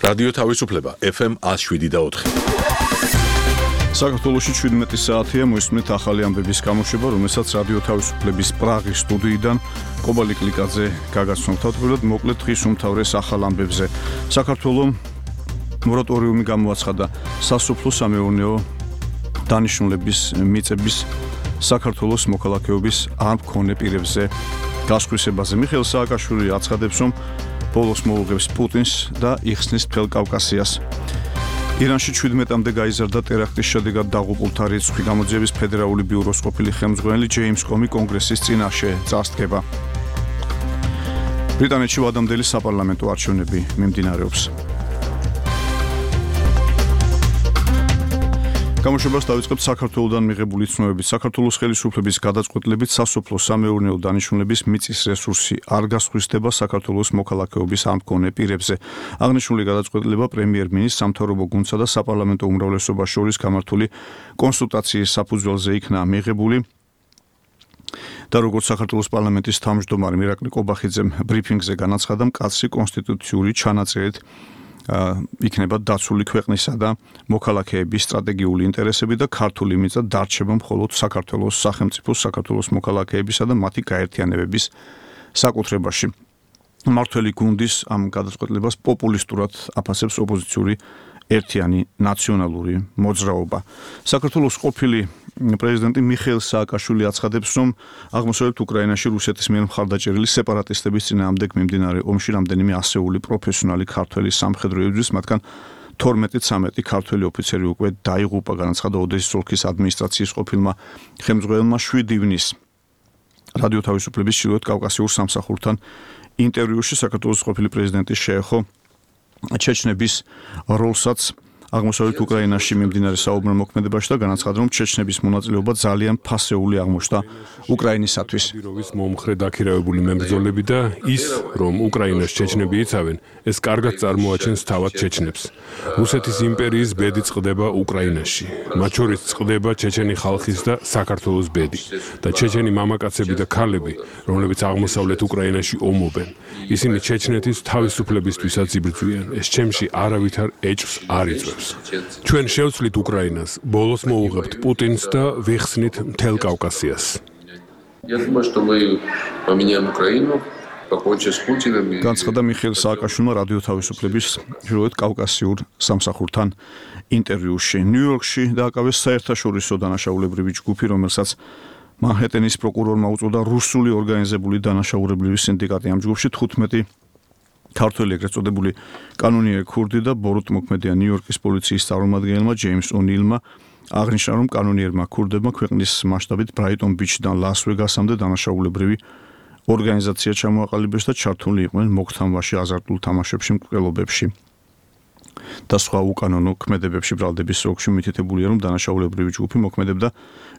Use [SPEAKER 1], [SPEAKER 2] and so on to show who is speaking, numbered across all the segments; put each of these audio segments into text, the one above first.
[SPEAKER 1] რადიო თავისუფლება FM 107.4.
[SPEAKER 2] საქართველოში 17 საათია მოისმენთ ახალი ამბების გამოშვება, რომელსაც რადიო თავისუფლების პრაღის სტუდიიდან კობალი კლიკაძე გაგაცნობთ. თავდაპირველად მოკლედ დღის უმთავრეს ახალ ამბებზე. საქართველოს მორატორიუმი გამოაცხადა სასოფლო-სამეურნეო დანიშნულების მიწების საქართველოს მოქალაქეობის არ მქონე პირებზე გასხვისებაზე. მიხეილ სააკაშვილი აცხადებს, რომ ბოლოს მოუღებს პუტინს და იხსნის მთელ კავკასიას. ირანში 17-მდე გაიზარდა ტერაქტის შედეგად დაღუპულთა რიცხვი. გამოძიების ფედერალური ბიუროს ყოფილი ხელმძღვანელი ჯეიმს კომი კონგრესის წინაშე წარსდგება. ბრიტანეთში ვადამდელი საპარლამენტო არჩევნები მიმდინარეობს. გამოშვებას დავიწყებთ საქართველოსდან მიღებული ცნობებით. საქართველოს ხელისუფლების გადაწყვეტილებით სასოფლო-სამეურნეო დანიშნულების მიწის რესურსი არ გასხვისდება საქართველოს მოქალაქეობის არ მქონე პირებზე. აღნიშნული გადაწყვეტილება პრემიერ-მინისტრ, სამთავრობო გუნდსა და საპარლამენტო უმრავლესობას შორის გამართული კონსულტაციის საფუძველზე იქნა მიღებული. და როგორც საქართველოს პარლამენტის თავმჯდომარე მირაკლი კობახიძემ ბრიფინგზე განაცხადა, მკაცრი კონსტიტუციური ჩანაწერით იქნება დაცული ქვეყნისა და მოქალაქეების სტრატეგიული ინტერესები და ქართული მიწა დარჩება მხოლოდ საქართველოს სახელმწიფოს, საქართველოს მოქალაქეებისა და მათი გაერთიანებების საკუთრებაში. მმართველი გუნდის ამ გადაწყვეტილებას პოპულისტურად აფასებს ოპოზიციური ერთიანი ნაციონალური მოძრაობა. საქართველოს ყოფილი პრეზიდენტი მიხეილ სააკაშვილი აცხადებს, რომ აღმოსავლეთ უკრაინაში რუსეთის მიერ მხარდაჭერილი სეპარატისტების წინააღმდეგ მიმდინარე ომში რამდენიმე ასეული პროფესიონალი ქართველი სამხედრო იბრძვის, მათგან 12-13 ქართველი ოფიცერი უკვე დაიღუპა, განაცხადა ოდესის ოლქის ადმინისტრაციის ყოფილმა ხელმძღვანელმა 7 ივნის რადიო თავისუფლების ჩრდილოეთ კავკასიურ სამსახურთან ინტერვიუში. საქართველოს ყოფილი პრეზიდენტი შეეხო ჩეჩნების როლსაც აღმოსავლეთ უკრაინაში მიმდინარე საომარ მოქმედებაში და განაცხადა, რომ ჩეჩნების მონაწილეობა ძალიან ფასეული აღმოჩნდა უკრაინისათვის.
[SPEAKER 3] მომხრე დაქირავებული მებრძოლები და ის, რომ უკრაინას ჩეჩნები იცავენ, ეს კარგად წარმოაჩენს თავად ჩეჩნებს. რუსეთის იმპერიის ბედი წყდება უკრაინაში. მათ შორის წყდება ჩეჩენი ხალხის და საქართველოს ბედი და ჩეჩენი მამაკაცები და ქალები, რომლებიც აღმოსავლეთ უკრაინაში ომობენ. ისინი ჩეჩნეთის თავისუფლებისთვისაც იბრძვიან. ეს ჩემში არავითარ ეჭვს არ იწვევს. ჩვენ შევცვლით უკრაინას, ბოლოს მოუღებთ პუტინს და ვიხსნით მთელ კავკასიას.
[SPEAKER 2] განცხადა მიხეილ სააკაშვილმა რადიო თავისუფლების ჩრდილოეთ კავკასიურ სამსახურთან ინტერვიუში. ნიუ-იორკში დააკავეს საერთაშორისო დანაშაულებრივი ჯგუფი, რომელსაც მანჰეტენის პროკურორმა უწოდა რუსული ორგანიზებული დანაშაულებრივი სინდიკატი. ამ ჯგუფში 15 ქართველი ეგრეთ წოდებული კანონიერი ქურდი და ბოროტ მოქმედია. ნიუ-იორკის პოლიციის წარმომადგენელმა ჯეიმს ონილმა აღნიშნა, რომ კანონიერმა ქურდებმა ქვეყნის მასშტაბით ბრაიტონ ბიჩიდან ლას-ვეგასამდე დანაშაულებრივი ორგანიზაცია ჩამოაყალიბეს და ჩართული იყვნენ მოგთამბაში, აზარტულ თამაშებში, მკვლელობებში და სხვა უკანონო ქმედებებში. ბრალდების სროკში მითითებულია, რომ დანაშაულებრივი ჯგუფი მოქმედებდა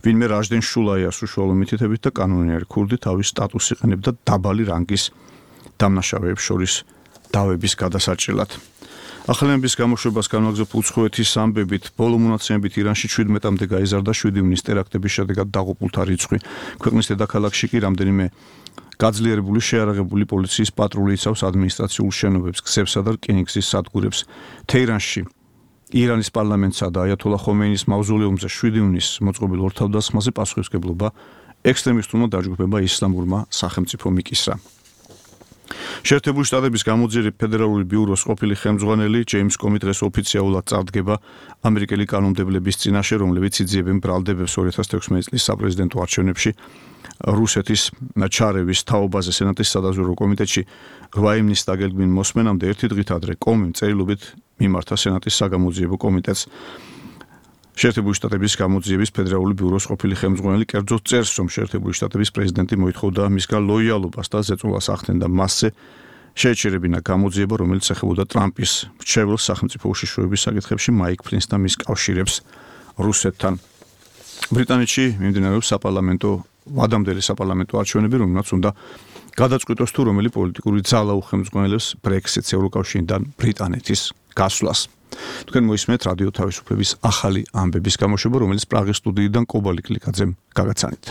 [SPEAKER 2] ვინმე რაჟდენ შულაიას უშუალო მითითებით და კანონიერი ქურდი თავის სტატუსს იყენებდა დაბალი რანგის დამნაშავეებს შორის დავების გადასარჭილად. ახალების გამოშვებას განვაგრძობ უცხოეთის ამბებით. ბოლო მონაცემებით ირანში 17-მდე გაიზარდა 7 ივნის ტერაქტების შედეგად დაღუპულთა რიცხვი. ქვეყნის დედაქალაქში კი რამდენიმე გაძლიერებული შეიარაღებული პოლიციის პატრული იცავს ადმინისტრაციულ შენობებს, გზებსა და რკინიგზის სადგურებს. თეირანში ირანის პარლამენტსა და აიათოლა ხომეინის მავზოლეუმზე 7 ივნის მოწყობილ ორთავდასხმაზე პასუხისმგებლობა ექსტრემისტულმა დაჯგუფებმა ისლამურმა სახელმწიფომ იკისრა. შეერთებული შტატების გამოძიების ფედერალური ბიუროს ყოფილი ხელმძღვანელი ჯეიმს კომი დღეს ოფიციალურად წარდგება ამერიკელი კანონმდებლების წინაშე, რომლებიც იძიებენ ბრალდებებს 2016 წლის საპრეზიდენტო არჩევნებში რუსეთის ჩარევის თაობაზე. სენატის სადაზვერვო კომიტეტში 8 ივნის დაგეგმილ მოსმენამდე ერთი დღით ადრე კომიმ წერილობით მიმართა სენატის საგამოძიებო კომიტეტს. შეერთებული შტატების გამოძიების ფედერალური ბიუროს ყოფილი ხელმძღვანელი კერძოდ წერს, რომ შეერთებული შტატების პრეზიდენტი მოითხოვდა მისგან ლოიალობას და ზეწოლას ახდენდა მასზე შეეჩერებინა გამოძიება, რომელიც ეხებოდა ტრამპის მრჩეველს სახელმწიფო უშიშროების საკითხებში მაიკ ფლინს და მის კავშირებს რუსეთთან. ბრიტანეთში მიმდინარეობს ვადამდელი საპარლამენტო არჩევნები, რომელსაც უნდა გადაწყვიტოს თუ რომელი პოლიტიკური ძალა უხელმძღვანელებს ბრექსიტს ევროკავშირიდან ბრიტანეთის გასვლას. თქვენ მოისმენთ რადიო თავისუფლების ახალი ამბების გამოშვება, რომელიც პრაღის სტუდიიდან კობალი კლიკაძემ გაგაცანით.